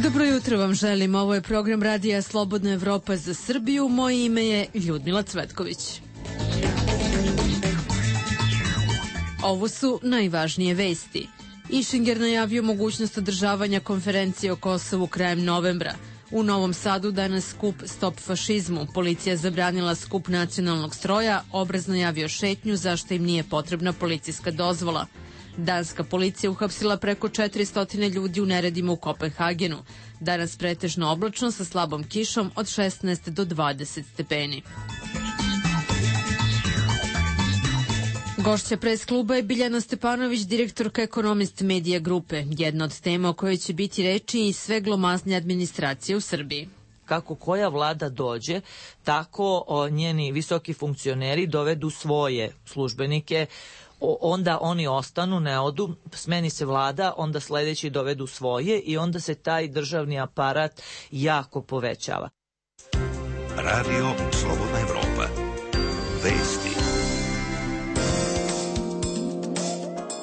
Dobro jutro vam želim. Ovo je program Radija Slobodna Evropa za Srbiju. Moje ime je Ljudmila Cvetković. Ovo su najvažnije vesti. Išinger najavio mogućnost održavanja konferencije o Kosovu krajem novembra. U Novom Sadu danas skup Stop fašizmu. Policija zabranila skup nacionalnog stroja, Obraz najavio šetnju zašto im nije potrebna policijska dozvola. Danska policija uhapsila preko 400 ljudi u neredima u Kopenhagenu. Danas pretežno oblačno sa slabom kišom od 16 do 20 stepeni. Gošća pres kluba je Biljana Stepanović, direktorka Ekonomist Medija grupe. Jedna od tema o kojoj će biti reči i sve glomaznje administracije u Srbiji. Kako koja vlada dođe, tako njeni visoki funkcioneri dovedu svoje službenike, onda oni ostanu, ne odu, smeni se vlada, onda sledeći dovedu svoje i onda se taj državni aparat jako povećava. Radio Slobodna Evropa. Vesti.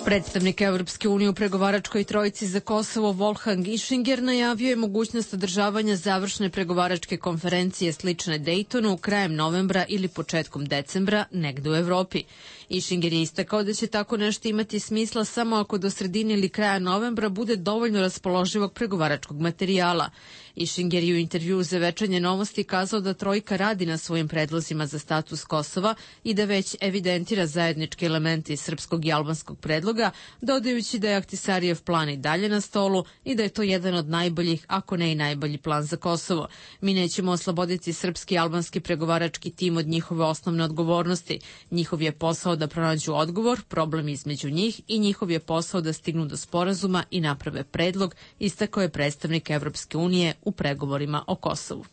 Predstavnik Evropske unije u pregovaračkoj trojici za Kosovo Wolfgang Ischinger najavio je mogućnost održavanja završne pregovaračke konferencije slične Dejtonu krajem novembra ili početkom decembra negde u Evropi. Ischinger je istakao da će tako nešto imati smisla samo ako do sredine ili kraja novembra bude dovoljno raspoloživog pregovaračkog materijala. Ischinger je u intervjuu za Večernje novosti kazao da trojka radi na svojim predlozima za status Kosova i da već evidentira zajedničke elemente iz srpskog i albanskog predloga, dodajući da je Ahtisarijev plan i dalje na stolu i da je to jedan od najboljih, ako ne i najbolji plan za Kosovo. Mi nećemo osloboditi srpski i albanski pregovarački tim od njihove osnovne odgovornosti. Njihov je posao da pronađu odgovor, problem između njih i njihov je posao da stignu do sporazuma i naprave predlog, istakao je predstavnik Evropske unije u pregovorima o Kosovu.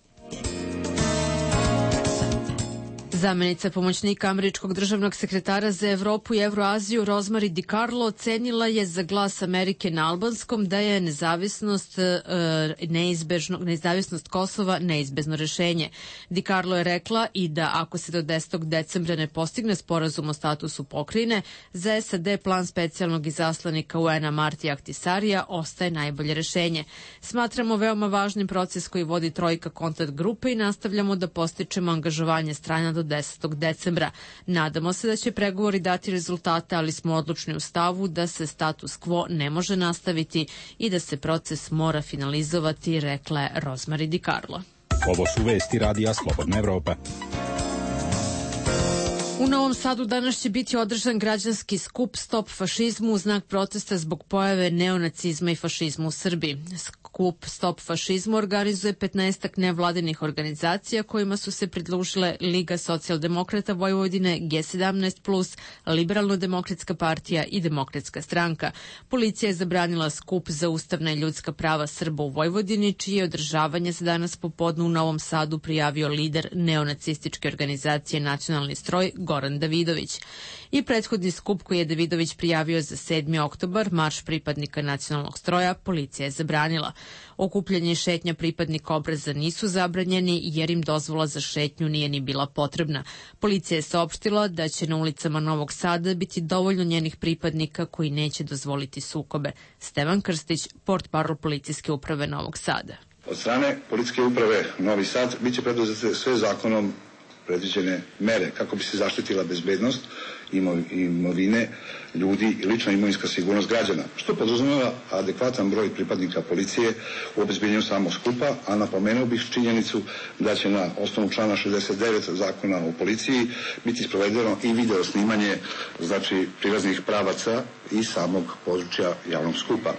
Zamenica pomoćnika američkog državnog sekretara za Evropu i Evroaziju Rosemary DiCarlo ocenila je za Glas Amerike na albanskom da je neizbežnost Kosova neizbezno rešenje. DiCarlo je rekla i da ako se do 10. decembra ne postigne sporazum o statusu pokrajine, za SAD plan specijalnog izaslanika UN-a Martija Ahtisarija ostaje najbolje rešenje. Smatramo veoma važnim proces koji vodi trojka kontakt grupe i nastavljamo da postičemo angažovanje strana do 10. decembra. Nadamo se da će pregovori dati rezultate, ali smo odlučni u stavu da se status quo ne može nastaviti i da se proces mora finalizovati, rekla je Rosemary DiCarlo. Ovo su vesti Radija Slobodna Evropa. U Novom Sadu danas će biti održan građanski skup Stop fašizmu u znak protesta zbog pojave neonacizma i fašizma u Srbiji. Skup Stop fašizmu organizuje 15 nevladinih organizacija kojima su se pridružile Liga socijaldemokrata Vojvodine, G17+, Liberalno-demokratska partija i Demokratska stranka. Policija je zabranila skup za ustavna i ljudska prava Srba u Vojvodini, čije održavanje se danas popodne u Novom Sadu prijavio lider neonacističke organizacije Nacionalni stroj Goran Davidović. I prethodni skup koji je Davidović prijavio za 7. oktobar, marš pripadnika nacionalnog stroja, policija je zabranila. Okupljanje i šetnja pripadnika Obraza nisu zabranjeni jer im dozvola za šetnju nije ni bila potrebna. Policija je saopštila da će na ulicama Novog Sada biti dovoljno njenih pripadnika koji neće dozvoliti sukobe. Stevan Krstić, portparol policijske uprave Novog Sada. Od strane policijske uprave Novi Sad biće preduzete sve zakonom predviđene mere kako bi se zaštitila bezbednost imovine ljudi i lična imovinska sigurnost građana, što podrazumeva adekvatan broj pripadnika policije u obezbeđenju samog skupa, a napomenuo bih činjenicu da će na osnovu člana 69 Zakona o policiji biti sprovedeno i video snimanje, znači prilaznih pravaca i samog područja javnog skupa.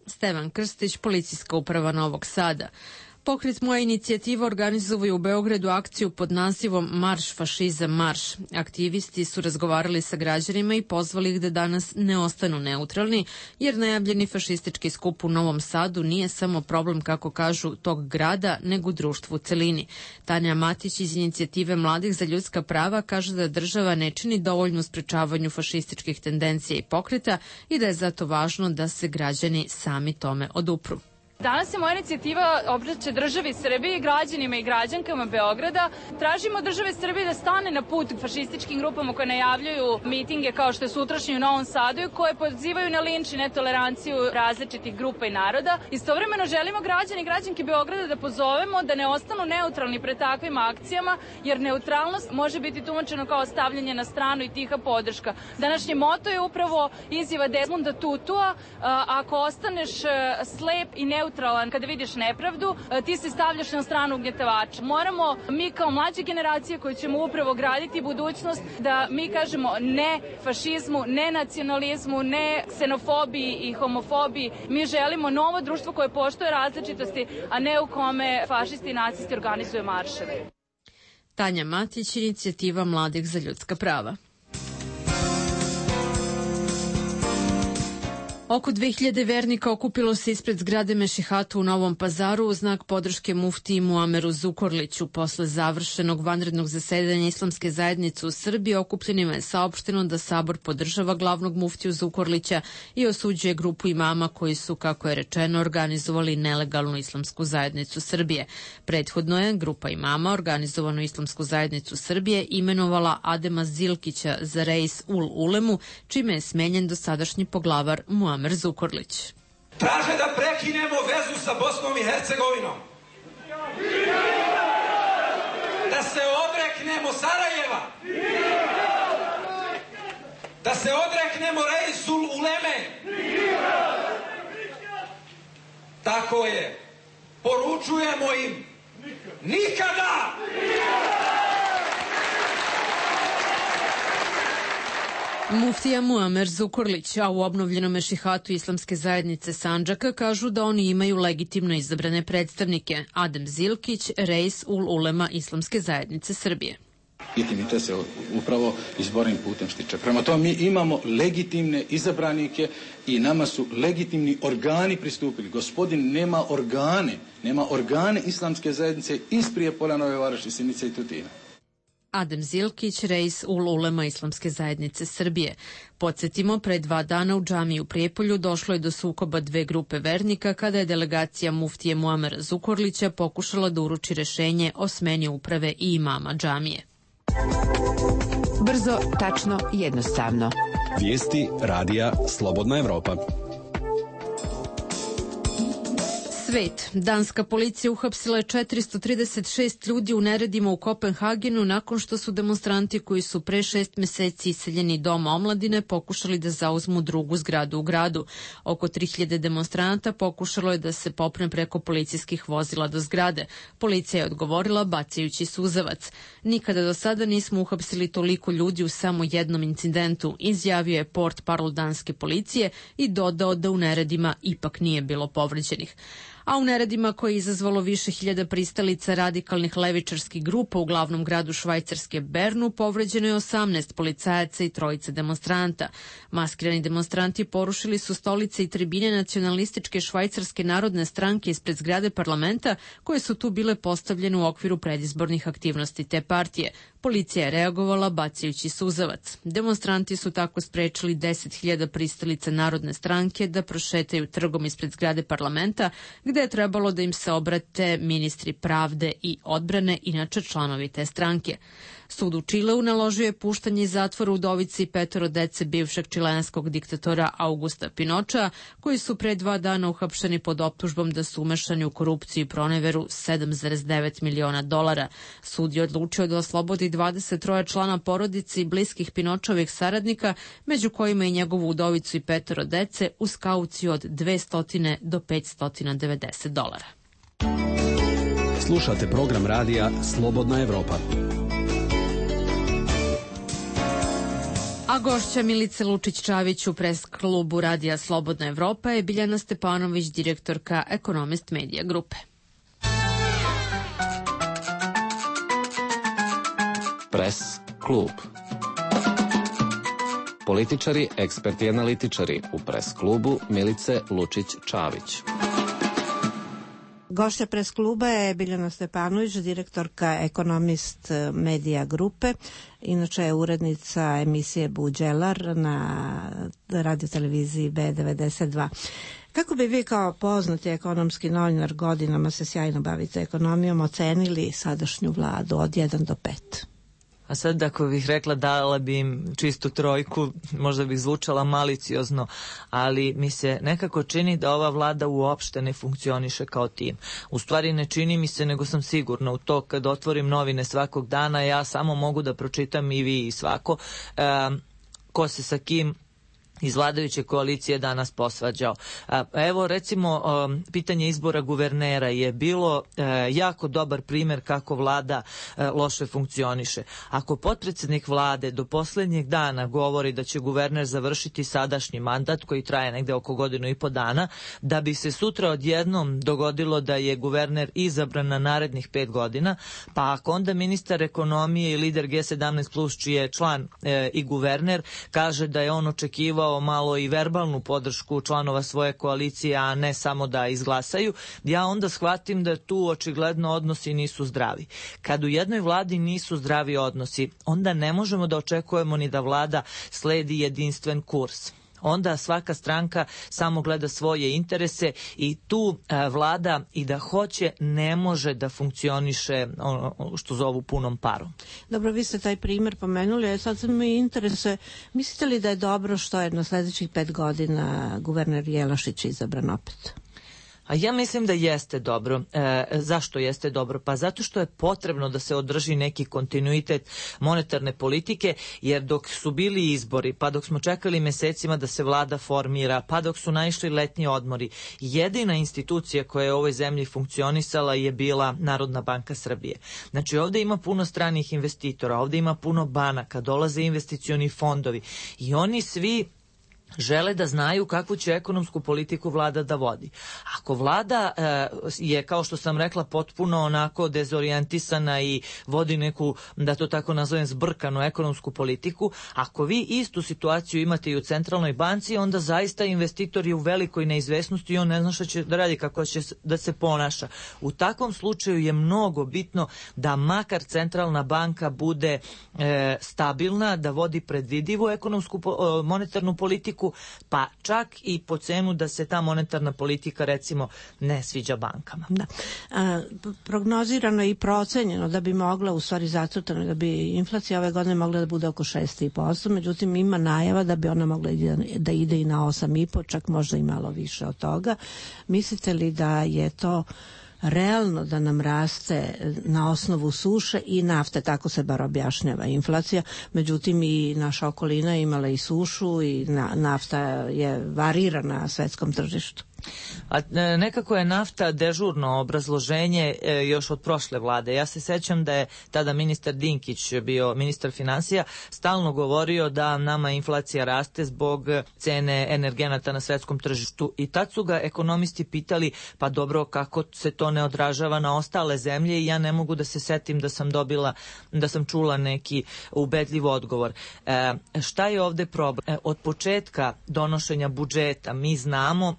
Stevan Krstić, policijska uprava Novog Sada. Pokret Moja inicijativa organizovao u Beogradu akciju pod nazivom Marš fašizam marš. Aktivisti su razgovarali sa građanima i pozvali ih da danas ne ostanu neutralni, jer najavljeni fašistički skup u Novom Sadu nije samo problem, kako kažu, tog grada, nego društvu u celini. Tanja Matić iz inicijative Mladih za ljudska prava kaže da država ne čini dovoljno u sprečavanju fašističkih tendencija i pokreta i da je zato važno da se građani sami tome odupru. Danas se moja inicijativa obraća državi Srbiji, građanima i građankama Beograda. Tražimo države Srbije da stane na put fašističkim grupama koje najavljuju mitinge kao što je sutrašnji u Novom Sadu i koje pozivaju na linč i netoleranciju različitih grupa i naroda. Istovremeno želimo građani i građanke Beograda da pozovemo da ne ostanu neutralni pred takvim akcijama, jer neutralnost može biti tumačeno kao stavljanje na stranu i tiha podrška. Današnji moto je upravo izjava Desmonda Tutua: ako ostaneš slep i neutralan kada vidiš nepravdu, ti se stavljaš na stranu ugnjetavača. Moramo mi kao mlađe generacije koji ćemo upravo graditi budućnost da mi kažemo ne fašizmu, ne nacionalizmu, ne ksenofobiji i homofobiji. Mi želimo novo društvo koje poštuje različitosti, a ne u kome fašisti i nacisti organizuju marševe. Tanja Matić, inicijativa Mladih za ljudska prava. Oko 2000 vernika okupilo se ispred zgrade Mešihata u Novom Pazaru u znak podrške muftiji Muameru Zukorliću. Posle završenog vanrednog zasedanja Islamske zajednice u Srbiji, okupljenima je saopšteno da Sabor podržava glavnog muftiju Zukorlića i osuđuje grupu imama koji su, kako je rečeno, organizovali nelegalnu Islamsku zajednicu Srbije. Prethodno je grupa imama organizovanu Islamsku zajednicu Srbije imenovala Adema Zilkića za reis ul ulemu, čime je smenjen dosadašnji poglavar Muamer Zukorlić. Traže da prekinemo vezu sa Bosnom i Hercegovinom. Da se odreknemo Sarajeva. Da se odreknemo reisul uleme. Tako je. Poručujemo im nikada! Muftija Muamer Zukorlić, a u obnovljenom Mešihatu Islamske zajednice Sandžaka kažu da oni imaju legitimno izabrane predstavnike. Adem Zilkić, reis ul ulema Islamske zajednice Srbije. Legitimitet se upravo izbornim putem stiče. Prema tome mi imamo legitimne izabranike i nama su legitimni organi pristupili. Gospodin nema organe Islamske zajednice iz Prijepolja, Nove Varoši, Sjenice i Tutina. Adem Zilkić, reis ul ulema Islamske zajednice Srbije. Podsjetimo, pre 2 dana u džamiji u Prijepolju došlo je do sukoba 2 grupe vernika kada je delegacija muftije Muamera Zukorlića pokušala da uruči rešenje o smeni uprave i imama džamije. Brzo, tačno, jednostavno. Vijesti radija Slobodna Evropa. Svet. Danska policija uhapsila je 436 ljudi u neredima u Kopenhagenu nakon što su demonstranti koji su pre 6 meseci iseljeni Doma omladine pokušali da zauzmu drugu zgradu u gradu. Oko 3000 demonstranata pokušalo je da se popne preko policijskih vozila do zgrade. Policija je odgovorila bacajući suzavac. Nikada do sada nismo uhapsili toliko ljudi u samo jednom incidentu, izjavio je portparol danske policije i dodao da u neredima ipak nije bilo povređenih. A u neredima koje je izazvalo više hiljada pristalica radikalnih levičarskih grupa u glavnom gradu Švajcarske Bernu povređeno je 18 policajaca i 3 demonstranta. Maskirani demonstranti porušili su stolice i tribine nacionalističke Švajcarske narodne stranke ispred zgrade parlamenta koje su tu bile postavljene u okviru predizbornih aktivnosti te partije. Policija je reagovala bacajući suzavac. Demonstranti su tako sprečili 10.000 pristalica Narodne stranke da prošetaju trgom ispred zgrade parlamenta, gde je trebalo da im se obrate ministri pravde i odbrane, inače članovi te stranke. Sud u Čileu naložio je puštanje iz zatvora udovici i 5 dece bivšeg čilenskog diktatora Augusta Pinocha, koji su pre 2 dana uhapšeni pod optužbom da su umešani u korupciju i proneveru $7,9 miliona. Sud je odlučio da oslobodi 23 člana porodice i bliskih Pinočovih saradnika, među kojima i njegovu udovicu i 5 dece, uz kauciju od $200 do $590. Slušate program radija Slobodna Evropa. A gošća Milice Lučić-Čavić u pres klubu radija Slobodna Evropa je Biljana Stepanović, direktorka Economist Media grupe. Pres klub. Političari, eksperti i analitičari u pres klubu Milice Lučić-Čavić. Gošća pres kluba je Biljana Stepanović, direktorka Economist Media grupe. Inače je urednica emisije Buđelar na radioteleviziji B92. Kako bi vi kao poznati ekonomski novinar, godinama se sjajno bavite ekonomijom, ocenili sadašnju vladu od 1 do 5? A sad ako bih rekla dala bi im čistu trojku, možda bih zvučala maliciozno, ali mi se nekako čini da ova vlada uopšte ne funkcioniše kao tim. U stvari ne čini mi se, nego sam sigurna u to kad otvorim novine svakog dana, ja samo mogu da pročitam i vi i svako ko se sa kim iz vladajuće koalicije danas posvađao. Evo recimo pitanje izbora guvernera je bilo jako dobar primjer kako vlada loše funkcioniše. Ako potpredsjednik vlade do posljednjeg dana govori da će guverner završiti sadašnji mandat koji traje negde oko 1,5 godina, da bi se sutra odjednom dogodilo da je guverner izabran na narednih 5 godina, pa ako onda ministar ekonomije i lider G17+, čiji je član i guverner, kaže da je on očekivao malo i verbalnu podršku članova svoje koalicije, a ne samo da izglasaju, ja onda shvatim da tu očigledno odnosi nisu zdravi. Kad u jednoj vladi nisu zdravi odnosi, onda ne možemo da očekujemo ni da vlada sledi jedinstven kurs. Onda svaka stranka samo gleda svoje interese i tu vlada i da hoće ne može da funkcioniše ono što zovu punom parom. Dobro, vi ste taj primjer pomenuli, a sad me interese, mislite li da je dobro što je na sljedećih 5 godina guverner Jelašić izabran opet? A ja mislim da jeste dobro. Zašto jeste dobro? Pa zato što je potrebno da se održi neki kontinuitet monetarne politike, jer dok su bili izbori, pa dok smo čekali mesecima da se vlada formira, pa dok su naišli letnji odmori, jedina institucija koja je u ovoj zemlji funkcionisala je bila Narodna banka Srbije. Znači ovdje ima puno stranih investitora, ovdje ima puno banaka, dolaze investicioni fondovi i oni svi žele da znaju kakvu će ekonomsku politiku vlada da vodi. Ako vlada je, kao što sam rekla, potpuno onako dezorijentisana i vodi neku, da to tako nazovem, zbrkanu ekonomsku politiku, ako vi istu situaciju imate i u centralnoj banci, onda zaista investitor je u velikoj neizvesnosti i on ne zna šta će da radi, kako će da se ponaša. U takvom slučaju je mnogo bitno da makar centralna banka bude stabilna, da vodi predvidivu ekonomsku monetarnu politiku, pa čak i po cenu da se ta monetarna politika recimo ne sviđa bankama. Da. Prognozirano i procenjeno da bi mogla, u stvari zacrtano, da bi inflacija ove godine mogla da bude oko 6,5%, međutim ima najava da bi ona mogla da ide i na 8,5%, čak možda i malo više od toga. Mislite li da je to realno da nam raste na osnovu suše i nafte, tako se bar objašnjava inflacija, međutim i naša okolina imala i sušu i nafta je varirana na svetskom tržištu? A nekako je nafta dežurno obrazloženje još od prošle vlade. Ja se sećam da je tada ministar Dinkić bio ministar finansija, stalno govorio da nama inflacija raste zbog cene energenata na svetskom tržištu i tad su ga ekonomisti pitali, pa dobro, kako se to ne odražava na ostale zemlje, i ja ne mogu da se setim da sam čula neki ubedljiv odgovor. Šta je ovde problem? Od početka donošenja budžeta mi znamo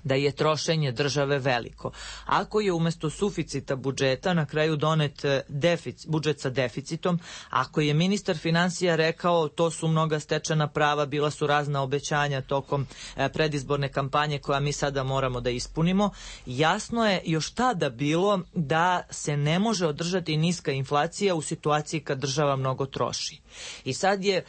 da je trošenje države veliko. Ako je umjesto suficita budžeta na kraju donet budžet sa deficitom, ako je ministar finansija rekao to su mnoga stečena prava, bila su razna obećanja tokom predizborne kampanje koja mi sada moramo da ispunimo, jasno je još tada bilo da se ne može održati niska inflacija u situaciji kad država mnogo troši. I sad je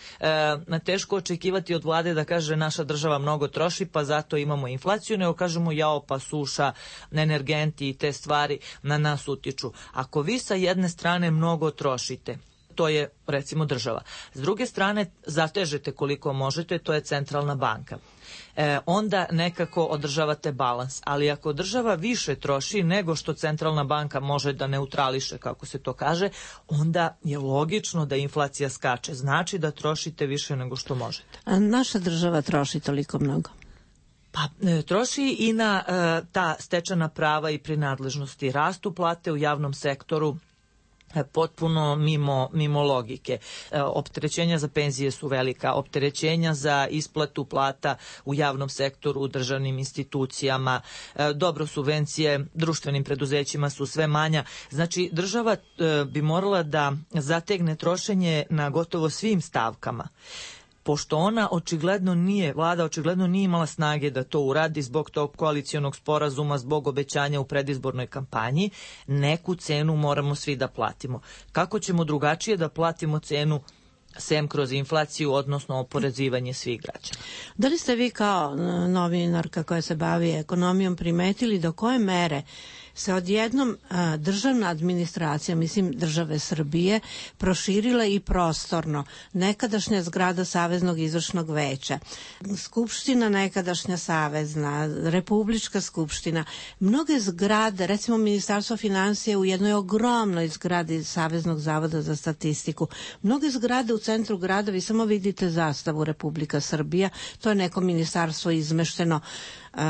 teško očekivati od vlade da kaže naša država mnogo troši pa zato imamo inflaciju, nego kažemo jao pa suša, energenti i te stvari na nas utiču. Ako vi sa jedne strane mnogo trošite, to je recimo država. S druge strane zatežete koliko možete, to je centralna banka. Onda nekako održavate balans. Ali ako država više troši nego što centralna banka može da neutrališe, kako se to kaže, onda je logično da inflacija skače. Znači da trošite više nego što možete. A naša država troši toliko mnogo? Pa troši i na ta stečena prava i prinadležnosti. Rastu plate u javnom sektoru potpuno mimo logike. Opterećenja za penzije su velika, opterećenja za isplatu plata u javnom sektoru, u državnim institucijama, dobro, subvencije društvenim preduzećima su sve manja. Znači država bi morala da zategne trošenje na gotovo svim stavkama. pošto ona očigledno nije, vlada očigledno nije imala snage da to uradi zbog tog koalicionog sporazuma, zbog obećanja u predizbornoj kampanji, neku cenu moramo svi da platimo. Kako ćemo drugačije da platimo cenu sem kroz inflaciju, odnosno oporezivanje svih građana? Da li ste vi kao novinarka koja se bavi ekonomijom primetili do koje mere se odjednom državna administracija, mislim države Srbije, proširila i prostorno? Nekadašnja zgrada Saveznog izvršnog veća, Skupština nekadašnja savezna, Republička skupština, mnoge zgrade, recimo Ministarstvo finansija u jednoj ogromnoj zgradi Saveznog zavoda za statistiku, mnoge zgrade u centru grada, vi samo vidite zastavu Republika Srbija, to je neko ministarstvo izmešteno.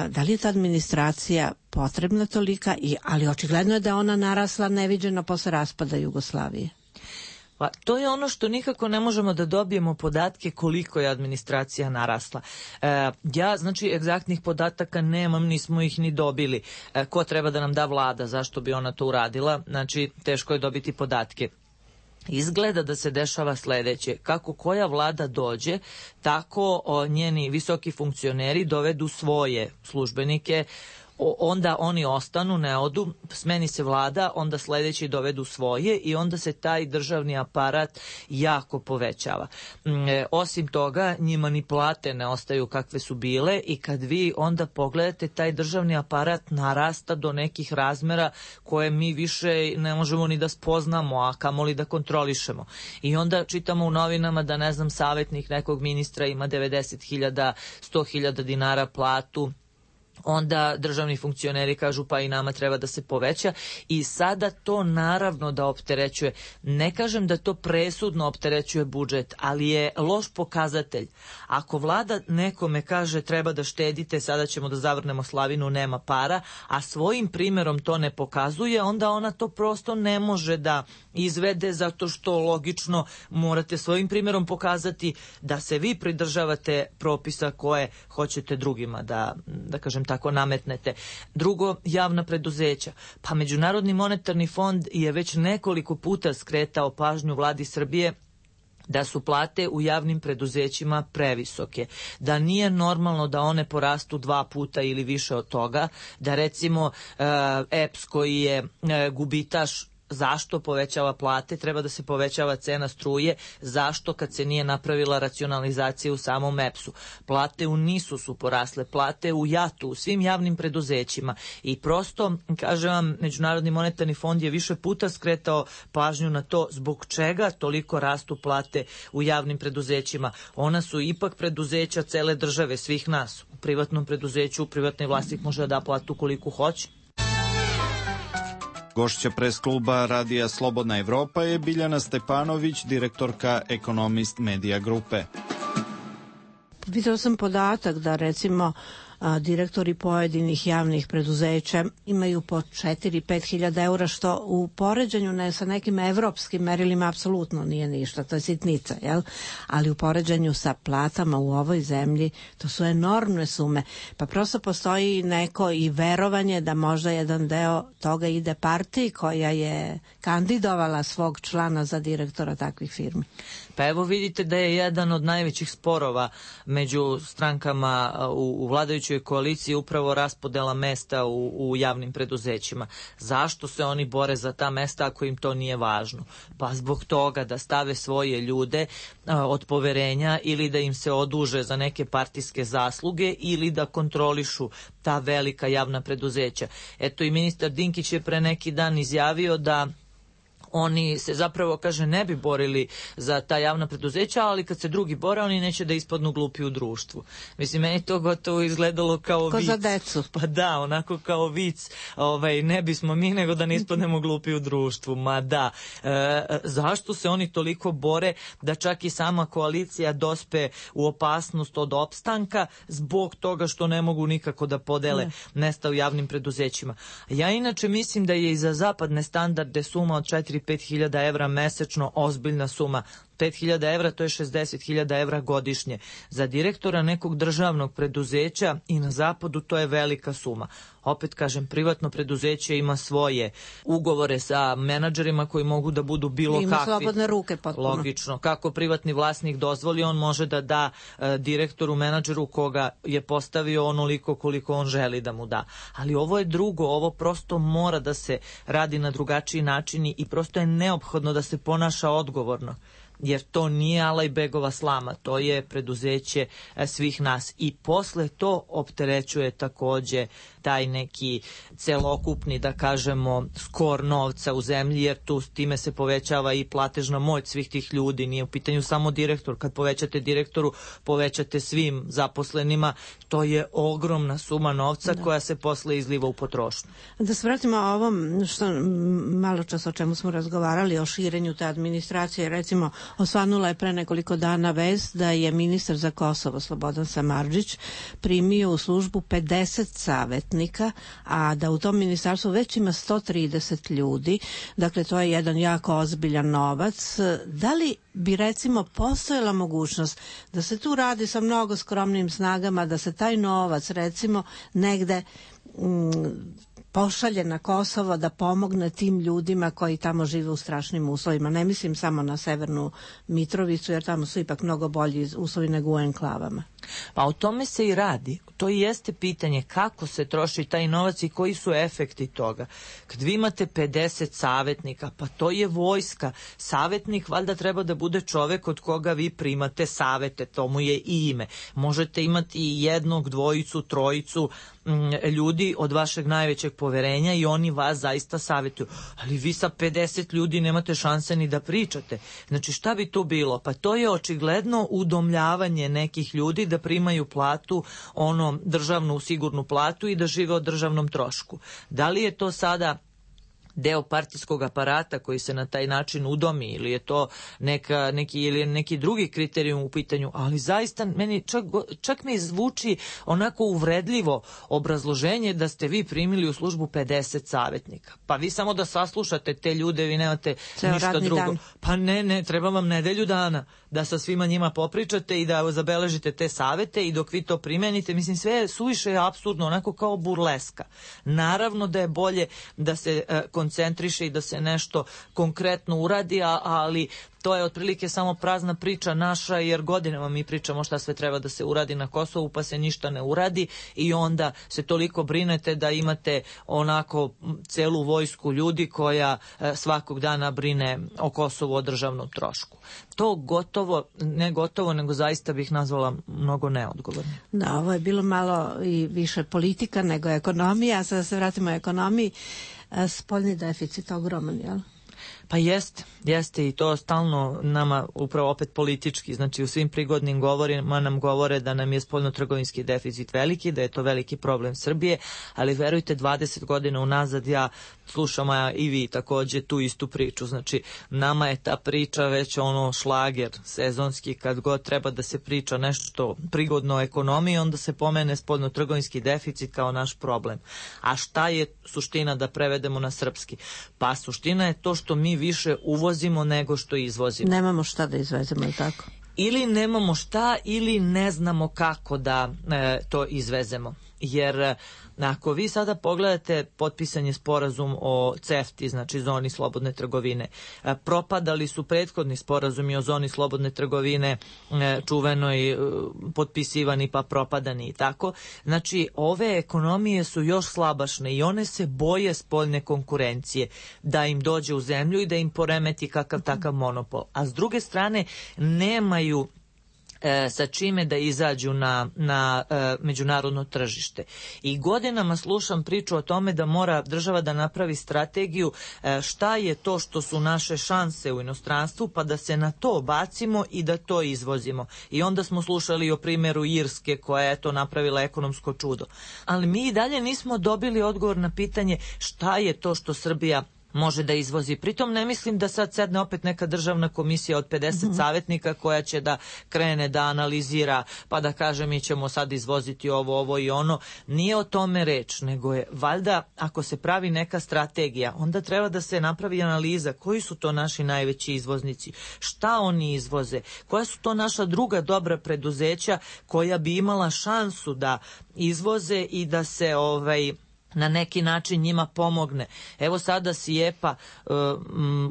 Da li je ta administracija potrebna tolika, ali očigledno je da ona narasla neviđeno posle raspada Jugoslavije? Pa, to je ono što nikako ne možemo da dobijemo podatke koliko je administracija narasla. Ja, znači, egzaktnih podataka nemam, nismo ih ni dobili. Ko treba da nam da vlada, zašto bi ona to uradila? Znači, teško je dobiti podatke. Izgleda da se dešava sledeće: kako koja vlada dođe, tako njeni visoki funkcioneri dovedu svoje službenike, onda oni ostanu, ne odu, smeni se vlada, onda sledeći dovedu svoje i onda se taj državni aparat jako povećava. Osim toga, njima ni plate ne ostaju kakve su bile i kad vi onda pogledate, taj državni aparat narasta do nekih razmera koje mi više ne možemo ni da spoznamo, a kamoli da kontrolišemo. I onda čitamo u novinama da, ne znam, savjetnik nekog ministra ima 90.000, 100.000 dinara platu, onda državni funkcioneri kažu pa i nama treba da se poveća i sada to naravno da opterećuje. Ne kažem da to presudno opterećuje budžet, ali je loš pokazatelj. Ako vlada nekome kaže treba da štedite, sada ćemo da zavrnemo slavinu, nema para, a svojim primjerom to ne pokazuje, onda ona to prosto ne može da izvede, zato što logično morate svojim primjerom pokazati da se vi pridržavate propisa koje hoćete drugima da kažem tako nametnete. Drugo, javna preduzeća. Pa Međunarodni monetarni fond je već nekoliko puta skretao pažnju vladi Srbije da su plate u javnim preduzećima previsoke, da nije normalno da one porastu 2 puta ili više od toga, da recimo EPS koji je gubitaš, zašto povećava plate, treba da se povećava cena struje, zašto kad se nije napravila racionalizacija u samom EPS-u. Plate u NIS-u su porasle, plate u JAT-u, u svim javnim preduzećima i prosto, kažem vam, Međunarodni monetarni fond je više puta skretao pažnju na to zbog čega toliko rastu plate u javnim preduzećima. Ona su ipak preduzeća cele države, svih nas. U privatnom preduzeću, privatni vlasnik može da da platu koliko hoće. Gošća pres kluba Radija Slobodna Evropa je Biljana Stepanović, direktorka Economist Media grupe. Videla sam podatak da recimo direktori pojedinih javnih preduzeća imaju po 4-5 hiljada eura, što u poređenju sa nekim evropskim merilima apsolutno nije ništa, to je sitnica, jel? Ali u poređenju sa platama u ovoj zemlji to su enormne sume, pa prosto postoji neko i verovanje da možda jedan deo toga ide partiji koja je kandidovala svog člana za direktora takvih firmi. Pa evo vidite da je jedan od najvećih sporova među strankama u vladajućoj koaliciji upravo raspodela mesta u javnim preduzećima. Zašto se oni bore za ta mesta ako im to nije važno? Pa zbog toga da stave svoje ljude od poverenja ili da im se oduže za neke partijske zasluge ili da kontrolišu ta velika javna preduzeća. Eto i ministar Dinkić je pre neki dan izjavio da oni se zapravo, kaže, ne bi borili za ta javna preduzeća, ali kad se drugi bore, oni neće da ispadnu glupi u društvu. Mislim, meni to gotovo izgledalo kao vic. Ko za decu. Pa da, onako kao vic. Ne bismo mi, nego da ne ispadnemo glupi u društvu. Ma da. Zašto se oni toliko bore da čak i sama koalicija dospe u opasnost od opstanka zbog toga što ne mogu nikako da podele mesta u javnim preduzećima? Ja inače mislim da je i za zapadne standarde suma od 4-5 hiljada evra mesečno ozbiljna suma. 5.000 evra, to je 60.000 evra godišnje. Za direktora nekog državnog preduzeća i na zapadu to je velika suma. Opet kažem, privatno preduzeće ima svoje ugovore sa menadžerima koji mogu da budu bilo kakvi. Ima slobodne ruke potpuno. Logično. Kako privatni vlasnik dozvoli, on može da da direktoru, menadžeru koga je postavio onoliko koliko on želi da mu da. Ali ovo je drugo, ovo prosto mora da se radi na drugačiji način i prosto je neophodno da se ponaša odgovorno. Jer to nije Alajbegova slama, to je preduzeće svih nas. I posle to opterećuje takođe taj neki celokupni, da kažemo, skor novca u zemlji, jer tu time se povećava i platežna moć svih tih ljudi. Nije u pitanju samo direktor. Kad povećate direktoru, povećate svim zaposlenima. To je ogromna suma novca koja se posle izliva u potrošnju. Da se vratimo o ovom što malo čas o čemu smo razgovarali, o širenju te administracije. Recimo, osvanula je pre nekoliko dana vest da je ministar za Kosovo Slobodan Samardžić primio u službu 50 savjetnika, a da u tom ministarstvu već ima 130 ljudi. Dakle, to je jedan jako ozbiljan novac. Da li bi recimo postojala mogućnost da se tu radi sa mnogo skromnim snagama, da se taj novac recimo negde pošalje na Kosovo da pomogne tim ljudima koji tamo žive u strašnim uslovima. Ne mislim samo na Severnu Mitrovicu, jer tamo su ipak mnogo bolji uslovi nego u enklavama. Pa o tome se i radi. To i jeste pitanje kako se troši taj novac i koji su efekti toga. Kad vi imate 50 savjetnika, pa to je vojska. Savjetnik valjda treba da bude čovek od koga vi primate savete, to mu je i ime. Možete imati jednog, dvojicu, trojicu ljudi od vašeg najvećeg poverenja i oni vas zaista savjetuju. Ali vi sa 50 ljudi nemate šanse ni da pričate. Znači šta bi tu bilo? Pa to je očigledno udomljavanje nekih ljudi da primaju platu, državnu sigurnu platu i da žive o državnom trošku. Da li je to sada deo partijskog aparata koji se na taj način udomi ili je to neki drugi kriterijum u pitanju, ali zaista meni čak mi zvuči onako uvredljivo obrazloženje da ste vi primili u službu 50 savjetnika. Pa vi samo da saslušate te ljude, vi nemate ništa drugo. Dan. Pa ne, treba vam nedelju dana da sa svima njima popričate i da zabeležite te savete i dok vi to primenite, mislim sve je suviše apsurdno, onako kao burleska. Naravno da je bolje da se koncentriše i da se nešto konkretno uradi, ali to je otprilike samo prazna priča naša, jer godinama mi pričamo šta sve treba da se uradi na Kosovu, pa se ništa ne uradi i onda se toliko brinete da imate onako celu vojsku ljudi koja svakog dana brine o Kosovu, o državnom trošku. To nego zaista bih nazvala mnogo neodgovorno. Da, ovo je bilo malo i više politika nego ekonomija. Sada se vratimo o ekonomiji. Spoljni deficit ogroman, jel? Pa jeste i to stalno nama upravo opet politički, znači u svim prigodnim govorima nam govore da nam je spoljnotrgovinski deficit veliki, da je to veliki problem Srbije, ali verujte 20 godina unazad ja slušam, a i vi takođe tu istu priču, znači nama je ta priča već šlager sezonski, kad god treba da se priča nešto prigodno o ekonomiji, onda se pomene spoljnotrgovinski deficit kao naš problem. A šta je suština da prevedemo na srpski? Pa suština je to što mi više uvozimo nego što izvozimo. Nemamo šta da izvezemo, je tako? Ili nemamo šta, ili ne znamo kako da to izvezemo. Jer ako vi sada pogledate potpisan je sporazum o CEFTA, znači zoni slobodne trgovine, propadali su prethodni sporazumi o zoni slobodne trgovine, čuvenoj, potpisivani pa propadani i tako. Znači ove ekonomije su još slabašne i one se boje spoljne konkurencije da im dođe u zemlju i da im poremeti kakav takav monopol. A s druge strane nemaju sa čime da izađu na međunarodno tržište. I godinama slušam priču o tome da mora država da napravi strategiju šta je to što su naše šanse u inostranstvu, pa da se na to bacimo i da to izvozimo. I onda smo slušali o primjeru Irske koja je to napravila ekonomsko čudo. Ali mi i dalje nismo dobili odgovor na pitanje šta je to što Srbija može da izvozi. Pritom ne mislim da sad sedne opet neka državna komisija od 50 savjetnika koja će da krene da analizira pa da kaže mi ćemo sad izvoziti ovo i ono. Nije o tome reč, nego je valjda ako se pravi neka strategija, onda treba da se napravi analiza koji su to naši najveći izvoznici, šta oni izvoze, koja su to naša druga dobra preduzeća koja bi imala šansu da izvoze i da se na neki način njima pomogne. Evo sada SIEPA,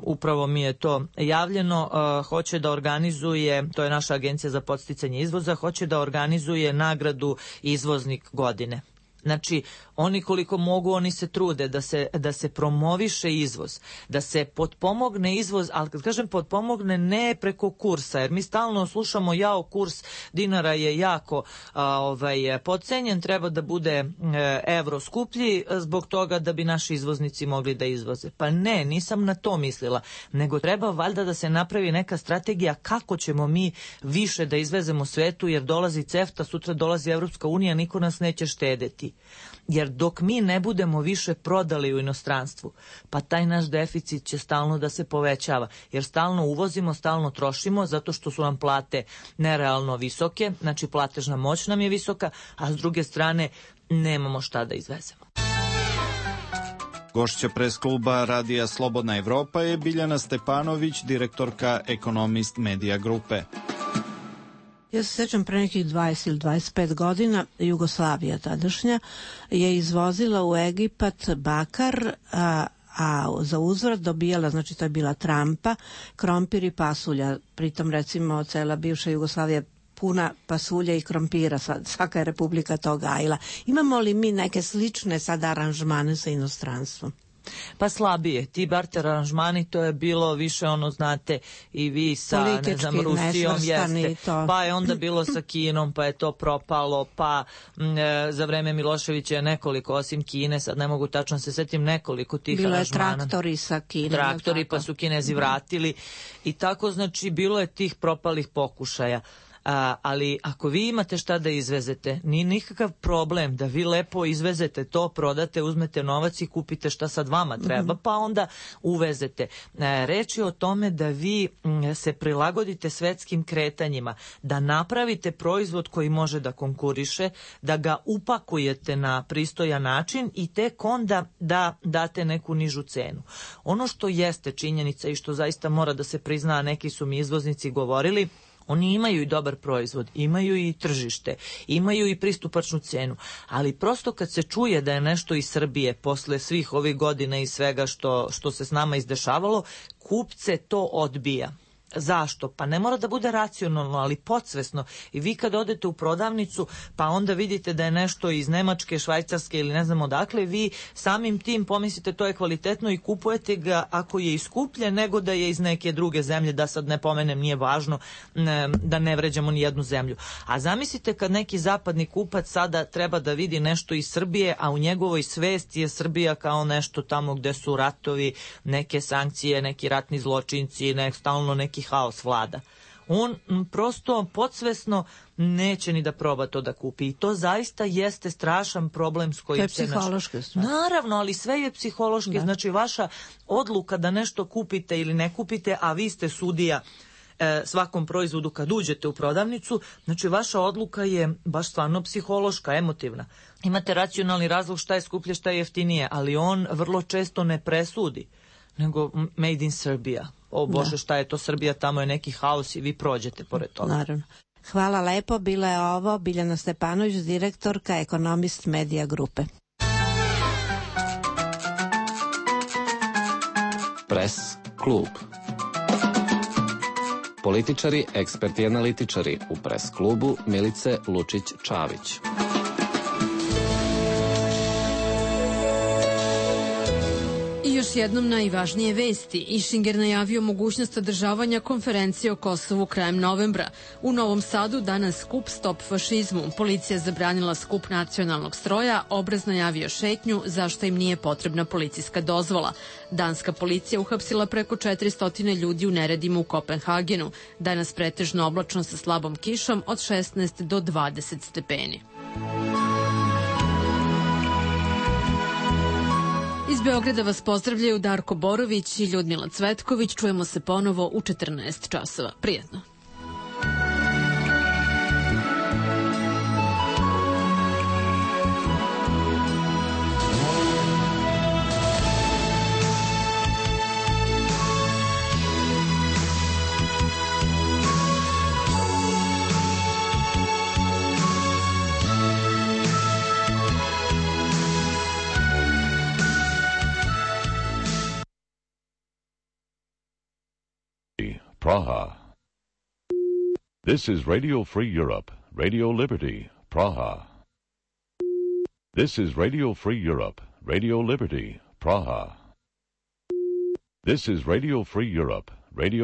upravo mi je to javljeno, hoće da organizuje, to je naša agencija za podsticanje izvoza, hoće da organizuje nagradu izvoznik godine. Znači, oni koliko mogu, oni se trude da se promoviše izvoz, da se potpomogne izvoz, ali kad kažem potpomogne ne preko kursa, jer mi stalno slušamo kurs dinara je jako podcenjen, treba da bude evro skuplji zbog toga da bi naši izvoznici mogli da izvoze. Pa ne, nisam na to mislila, nego treba valjda da se napravi neka strategija kako ćemo mi više da izvezemo svetu, jer dolazi CEFTA, sutra dolazi Evropska unija, niko nas neće štedeti. Jer dok mi ne budemo više prodali u inostranstvu, pa taj naš deficit će stalno da se povećava, jer stalno uvozimo, stalno trošimo, zato što su nam plate nerealno visoke, znači platežna moć nam je visoka, a s druge strane nemamo šta da izvezemo. Gošća pres kluba Radija Slobodna Evropa je Biljana Stepanović, direktorka Ekonomist Medija grupe. Ja se sećam pre nekih 20 ili 25 godina Jugoslavija tadašnja je izvozila u Egipat bakar, a za uzvrat dobijala, znači to je bila trampa, krompir i pasulja. Pritom recimo cela bivša Jugoslavija puna pasulja i krompira, svaka je republika to gajila. Imamo li mi neke slične sada aranžmane sa inostranstvom? Pa slabije, ti barter aranžmani, to je bilo više znate i vi sa Rusijom jeste, pa je onda bilo sa Kinom, pa je to propalo, pa za vreme Miloševića je nekoliko, osim Kine, sad ne mogu tačno se setim, nekoliko tih bilo aranžmana. Bilo je traktori sa Kinom. Traktori, pa su Kinezi vratili i tako, znači bilo je tih propalih pokušaja. Ali ako vi imate šta da izvezete, nije nikakav problem da vi lepo izvezete to, prodate, uzmete novac i kupite šta sad vama treba, pa onda uvezete. Reč je o tome da vi se prilagodite svetskim kretanjima, da napravite proizvod koji može da konkuriše, da ga upakujete na pristojan način i tek onda da date neku nižu cenu. Ono što jeste činjenica i što zaista mora da se prizna, a neki su mi izvoznici govorili, oni imaju i dobar proizvod, imaju i tržište, imaju i pristupačnu cenu, ali prosto kad se čuje da je nešto iz Srbije posle svih ovih godina i svega što se s nama izdešavalo, kupce to odbija. Zašto? Pa ne mora da bude racionalno, ali podsvesno. I vi kad odete u prodavnicu, pa onda vidite da je nešto iz Nemačke, Švajcarske ili ne znam odakle, vi samim tim pomislite to je kvalitetno i kupujete ga ako je iskuplje nego da je iz neke druge zemlje, da sad ne pomenem, nije važno da ne vređamo ni jednu zemlju. A zamislite kad neki zapadni kupac sada treba da vidi nešto iz Srbije, a u njegovoj svesti je Srbija kao nešto tamo gde su ratovi, neke sankcije, neki ratni zločinci, stalno neki haos vlada. On prosto podsvesno neće ni da proba to da kupi i to zaista jeste strašan problem s kojim se... To je psihološka stvar. Naravno, ali sve je psihološki. Znači vaša odluka da nešto kupite ili ne kupite, a vi ste sudija svakom proizvodu kad uđete u prodavnicu, znači vaša odluka je baš stvarno psihološka, emotivna. Imate racionalni razlog šta je skuplje, šta je jeftinije, ali on vrlo često ne presudi, nego made in Serbia. O Bože, šta je to Srbija, tamo je neki haos i vi prođete pored toga. Naravno. Hvala lepo, bila je ovo Biljana Stepanović, direktorka Ekonomist Medija grupe. Pres klub. Političari, eksperti i analitičari u Pres klubu Milice Lučić-Čavić. Još jednom najvažnije vesti. Išinger najavio mogućnost održavanja konferencije o Kosovu krajem novembra. U Novom Sadu danas skup Stop fašizmu. Policija zabranila skup nacionalnog stroja, Obraz najavio šetnju zašto im nije potrebna policijska dozvola. Danska policija uhapsila preko 400 ljudi u neredima u Kopenhagenu. Danas pretežno oblačno sa slabom kišom od 16 do 20 stepeni. Iz Iz Beograda vas pozdravljaju Darko Borović i Ljudmila Cvetković. Čujemo se ponovo u 14 časova. Prijetno. Praha. This is Radio Free Europe, Radio Liberty, Praha. This is Radio Free Europe, Radio Liberty, Praha. This is Radio Free Europe, Radio